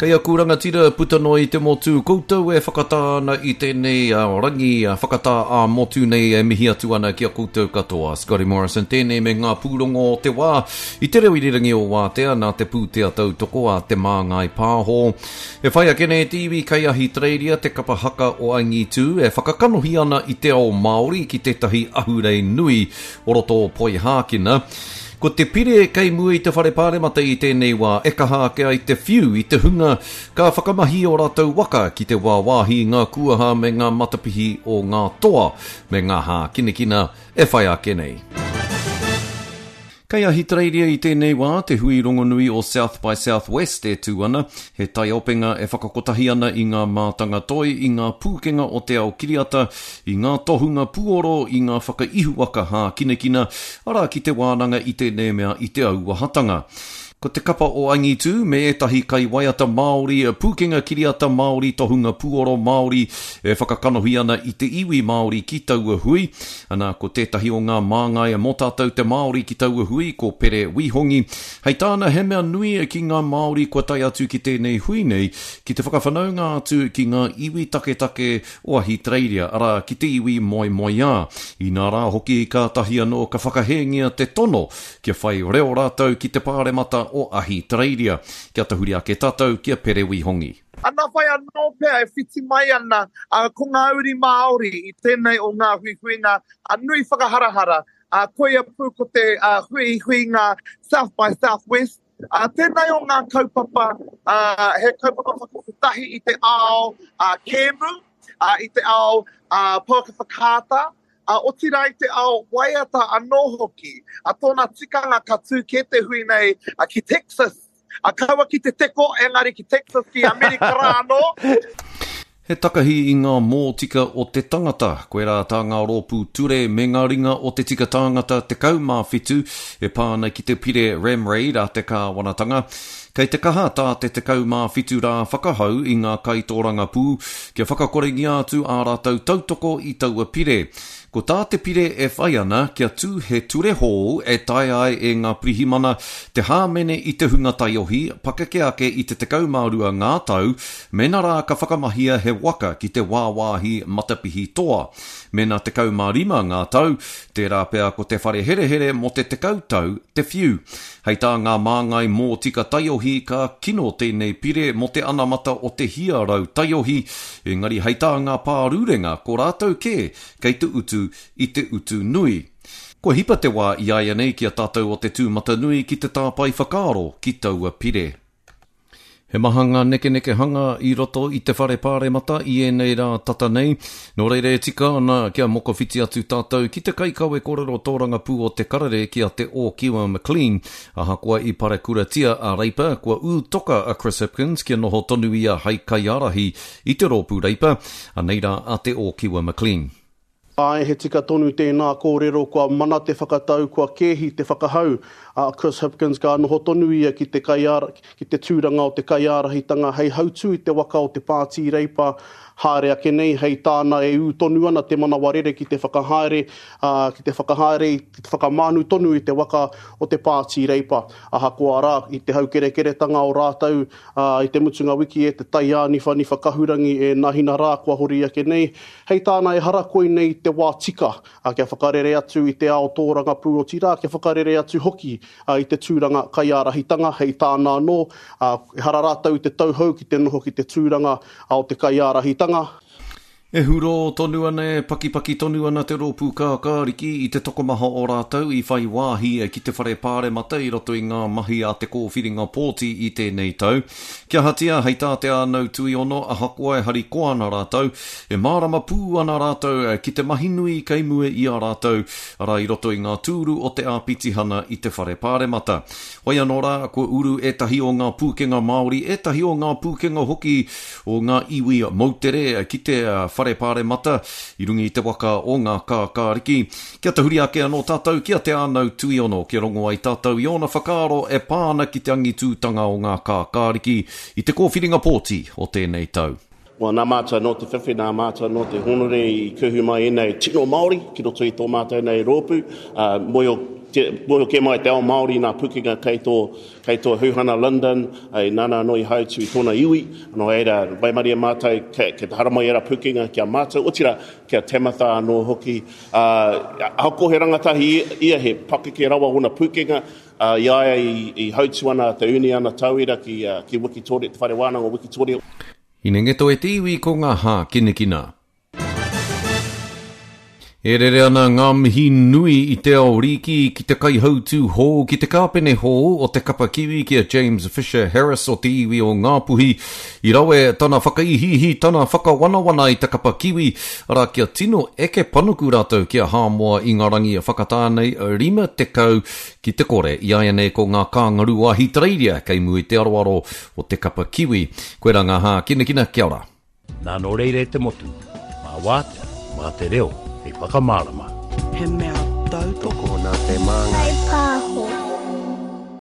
Kei aku rangatira puta noa i te motu, koutou e whakatā ana i tēnei rangi whakatā ā-motu nei e mihi atu ana ki a koutou katoa. Scotty Morrison tēnei me ngā pūrongo o te wā i te reo irirangi o Wātea nā te pūtea tautoko a Te Māngai Pāho. E whai ake nei te iwi kei Ahitereiria te kapa haka o Angitū e whakakanohi ana i te ao Māori ki tētahi ahurei nui o roto o Poihākina. Ko te pire kei mua i te Whare Pāremata i tēnei wā e kaha ake ai te whiu i te hunga ka whakamahi ō rātou waka ki te wāwāhi i ngā kuaha me ngā matapihi o ngā toa me ngā hākinakina e whai ake nei. Kei Ahitereiria i tēnei wā te hui rongonui o South by Southwest e tū ana, he taiopenga e whakakotahi ana i ngā mātanga toi, i ngā pūkenga o te ao kiriata, i ngā tohunga puoro, i ngā whakaihuwaka hākinakina, arā ki te wānanga i tēnei mea i te auahatanga. Ko te kapa o Angitū me ētahi kaiwaiata Māori, pūkenga kiriata Māori, tohunga puoro Māori e whakakanohi ana i te iwi Māori ki taua hui. Ana, ko tētahi o ngā māngai mō tātou te Māori ki taua hui, ko Pere Wihongi. Hei tāna, he mea nui ki ngā Māori kua tae atu ki tēnei hui nei, ki te whakawhanaunga atu ki ngā iwi taketake o Ahitereiria, arā, ki te iwi moemoeā. Inā rā hoki, kātahi anō ka whakahēngia te tono kia whai reo rātou ki te Pāremata o Ahitereiria. Kia tahuri ake tātou ki a Pere Wihongi. Ana whai anō pea e whiti mai ana ko ngā uri Māori i tēnei o ngā huihuinga nui whakaharahara, koia pū ko te huihuinga South by Southwest, Ā, tēnei o ngā kaupapa, ā, he kaupapa whakakotahi i te ao ā, kēmu, ā, i te ao ā, pouaka whakaata, ā, otirā i te ao waiata anō hoki. Ā, tōna tikanga ka tū kē te hui nei ā, ki Texas, ā, kaua ki te teko, engari ki Texas, ki Amerika rā anō. He takahi i ngā mōtika o te tangata, koirā tā ngā rōpū ture me ngā ringa o te tika tāngata 17 e pā ana ki te pire Ramraid a te kāwanatanga. Kei te kaha tā te 17 rā whakahau i ngā kaitōrangapū kia whakakorengia atu ā rātou tautoko i taua pire. Ko tā te pire e whai ana kia tū he ture hou e taea ai e ngā pirihimana te hāmene i te hunga taiohi pakeke ake i te 12 ngā tau mēnā rā ka whakamahia he waka ki te wāwāhi matapihi toa. Mēnā 15 ngā tau, tērā pea ko te whare herehere mō te 10 tau te whiu. Hei tā ngā māngai mōtika taiohi ka kino tēnei pire mō te anamata o te hia taiohi, engari hei tā ngā pārurenga ko rātou kē kei te utu i te utu nui. Kua hipa te wā iāianei ki a tātou o te tūmatanui ki te tāpae whakaaro ki taua pire. He maha ngā nekenekehanga i roto i te whare pāremata i ēnei rā tata nei, nō reira e tika ana kia mokowhiti atu tātou ki te kaikawe kōrero tōrangapū o Te Karere ki a Te Ōkiwa McLean. Ahakoa i parekuratia a Reipa, kua ū toka a Chris Hipkins kia noho tonu ia hei kaiārahi i te rōpū Reipa. Anei rā a Te Ōkiwa McLean. Āe, he tika tonu tēnā kōrero, kua mana te whakatau, kua kēhi te whakahau a Chris Hipkins ka noho tonu ia ki te ki te tūranga o te kaiārahitanga hei hautū i te waka o te Pāti Reipa haere ake nei, hei tāna e ū tonu ana te manawa rere ki te whakahaere, ā, ki te whakahaere, ki te whakamānu tonu i te waka o te Pāti Reipa. Ahakoa rā, i te haukerekeretanga o rātou, ā, i te mutunga wiki e te taiāniwhaniwha kahurangi e nahina rā kua hori ake nei, Hei tāna ehara koinei te wā tika kia whakarere atu i te ao tōrangapū otirā kia whakarere atu hoki i te tūranga kaiārahitanga, hei tāna anō, ehara rātou i te tauhou ki te noho ki te tūranga o te kaiārahitanga. E hurō tonu ana, e pakipaki tonu ana te rōpū kākāriki i te tokomaha o rātou i whai wāhi ki te whare pāremata i roto i ngā mahi a te kōwhiringa pōti i tēnei tau. Kia ahatia, hei tā Te Ānau Tuiono, ahakoa e harikoa ana rātou, e mārama pū ana rātou ki te mahi nui kei mua i a rātou, arā i roto i ngā tūru o te āpitihana i te Whare Pāremata. Whai anō rā, kua uru ētahi o ngā pūkenga Māori, ētahi o ngā pūkenga hoki o ngā iwi moutere ki te Whare Pāremata i runga i te waka o ngā kākāriki. Kia tahuri ake anō tātou ki a Te Ānau Tuiono kia rongo ai tātou i ōna whakaaro e pā ana ki te angitūtanga o ngā kākāriki i te kōwhiringa pōti o tēnei tau. Well, nā mātou anō te whiwhi, nā mātou anō te hōnore i kuhu mai ēnei tino Māori ki roto i tō mātou nei rōpū, ā, moe o. Te mōhio kē mai te ao Māori nā pukenga kei tō, kei tō Huhana Lyndon, ai, nāna anō i hautū i tōna iwi, nō reira, waimarie mātou kei, kei te haramai ērā pukenga ki a mātou, otirā, ki a Tamatha anō hoki. Ā, ahakoa he rangatahi ia, he pakeke rawa ōna pukenga, ā, i a ia i, i hautū ana te Uniana Tauira ki, ki Wikitoria, te Whare Wānanga o Wikitoria. Hinengito e te iwi ko ngā hākinakina. E rere ana ngā mihi nui i te ao rīki ki te kaihautū hou, ki te kāpene hou o te kapa Kiwi ki a James Fisher Harris o te iwi o Ngāpuhi. I rawe tana whakaihiihi, tana whakawanawana i te kapa Kiwi, arā kia tino eke panuku rātou ki a Hāmoa i ngā rangi whakatā nei 50 ki te kore. Iāianei ko ngā kāngarū o Ahitereiria kei mua i te aroaro o te kapa Kiwi. Koirā ngā hākinakina, kia ora. Nā nō reira e te motu, mā wātea, mā te reo hei whakamārama. He mea tautoko. Tokona te māngai. Whai pāho.